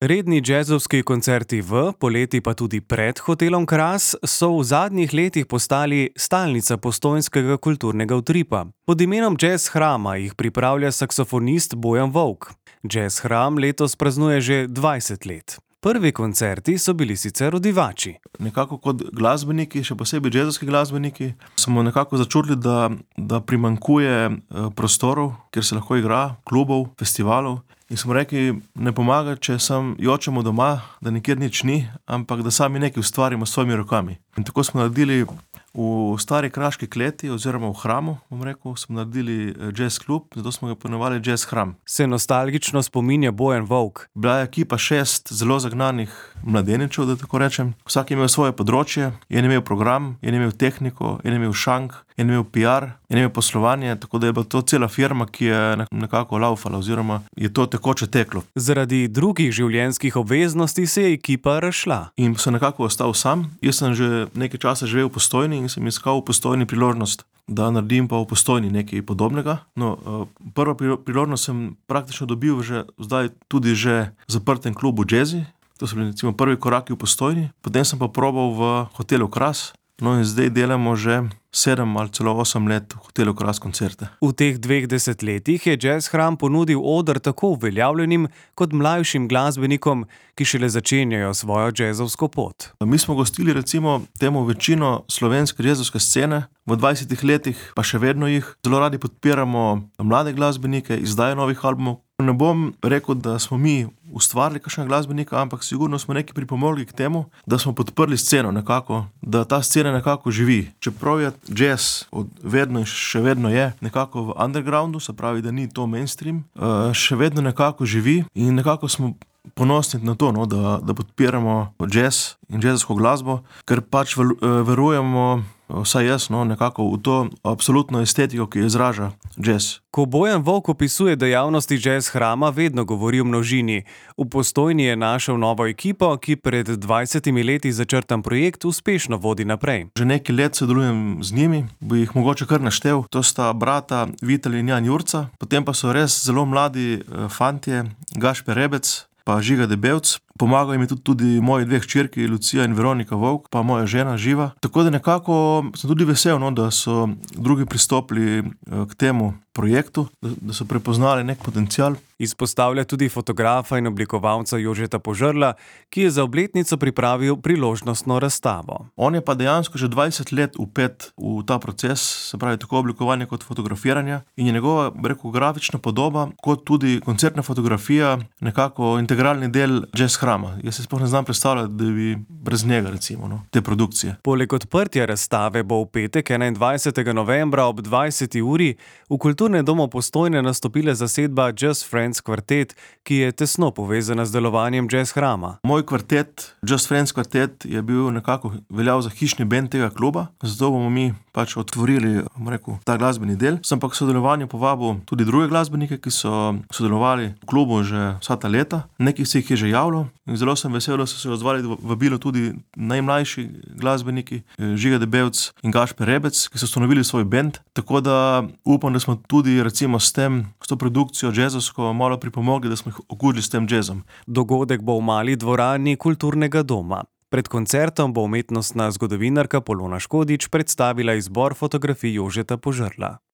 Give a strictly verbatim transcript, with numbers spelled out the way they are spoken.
Redni džezovski koncerti v, poleti pa tudi pred hotelom Kras so v zadnjih letih postali stalnica postojnskega kulturnega utripa. Pod imenom Jazz Hrama jih pripravlja saksofonist Bojan Volk. Jazz Hram letos praznuje že dvajset let. Prvi koncerti so bili sicer v Divači. Nekako kot glasbeniki, še posebej džezovski glasbeniki, smo nekako začutili, da, da primanjkuje prostorov, kjer se lahko igra, klubov, festivalov. In smo rekli, ne pomaga, če sam jočemo doma, da nikjer nič ni, ampak da sami nekaj ustvarimo s svojimi rokami. In tako smo naredili v stari kraški kleti oziroma v hramu, bom rekel, smo naredili jazz klub, zato smo ga poimenovali Jazz Hram. Se nostalgično spominja Bojan Volk. Bila je ekipa šest zelo zagnanih mladeničev, da tako rečem. Vsak je imel svoje področje, je imel program, je imel tehniko, je imel šank, je imel pi ar, je imel poslovanje, tako da je bila to cela firma, ki je nekako laufala oziroma je to tekoče teklo. Zaradi drugih življenjskih obveznosti se je ekipa razšla. In sem nekako ostal sam. Jaz sem že nekaj časa živel v Postojni in sem iskal v Postojni priložnost, da naredim pa v Postojni nekaj podobnega. No, prva priložnost sem praktično dobil že zdaj tudi že v zaprtem klubu Jazzy. To so bili recimo prvi koraki v Postojni. Potem sem pa probal v hotelu Kras. No in zdaj delamo že sedem ali celo osem let v hotelu Kras koncerte. V teh dveh desetletjih je Jazz Hram ponudil oder tako uveljavljenim kot mlajšim glasbenikom, ki šele začenjajo svojo džezovsko pot. Mi smo gostili recimo temu večino slovenske džezovske scene, v dvajsetih letih pa še vedno jih. Zelo radi podpiramo mlade glasbenike, izdajo novih albumov. Ne bom rekel, da smo mi ustvarili kakšnega glasbenika, ampak sigurno smo nekaj pripomogli k temu, da smo podprli sceno nekako, da ta scena nekako živi. Čeprav je jazz od vedno in še vedno je nekako v undergroundu, se pravi, da ni to mainstream, še vedno nekako živi in nekako smo ponosni na to, no, da, da podpiramo jazz in jazzovsko glasbo, ker pač verujemo, vsaj jaz, no, nekako v to absolutno estetiko, ki izraža jazz. Ko Bojan Volk opisuje dejavnosti Jazz Hrama, vedno govori o množini. V Postojni je našel novo ekipo, ki pred dvajsetimi leti začrtan projekt uspešno vodi naprej. Že nekaj let sodelujem z njimi, bi jih mogoče kar naštel. To sta brata Vitel in Jan Jurca, potem pa so res zelo mladi fantje, Gašper Rebec pa Žiga Debevc. Pomagajo mi tudi, tudi moji dve hčerki, Lucija in Veronika Volk, pa moja žena Živa. Tako da nekako sem tudi vesel, no, da so drugi pristopili k temu projektu, da, da so prepoznali nek potencial. Izpostavlja tudi fotografa in oblikovalca Jožeta Požrla, ki je za obletnico pripravil priložnostno razstavo. On je pa dejansko že dvajset let vpet v ta proces, se pravi tako oblikovanja kot fotografiranja, in je njegova, rekel, grafična podoba kot tudi koncertna fotografija nekako integralni del Jazz Hrama. Jaz se sploh ne znam predstavljati, da bi brez njega, recimo, no, te produkcije. Poleg odprtja razstave bo v petek enaindvajsetega novembra ob dvajseti uri v Kulturnem domu Postojne nastopila zasedba Jazz Friends kvartet, ki je tesno povezana z delovanjem Jazz Hrama. Moj kvartet, Jazz Friends kvartet, je bil nekako veljal za hišni bend tega kluba, zato bomo mi pač otvorili, bom rekel, ta glasbeni del. Sem pa k sodelovanju povabil tudi druge glasbenike, ki so sodelovali v klubu že vsa ta leta. Nekaj se jih je že javilo. In zelo sem vesel, da so se odzvali vabilo tudi najmlajši glasbeniki, Žiga Debevc in Gašper Rebec, ki so ustanovili svoj bend. Tako da upam, da smo tudi recimo s tem, s to produkcijo jazzovsko malo pripomogli, da smo jih okužili s tem jazzom. Dogodek bo v mali dvorani Kulturnega doma. Pred koncertom bo umetnostna zgodovinarka Polona Škodič predstavila izbor fotografij Jožeta Požrla.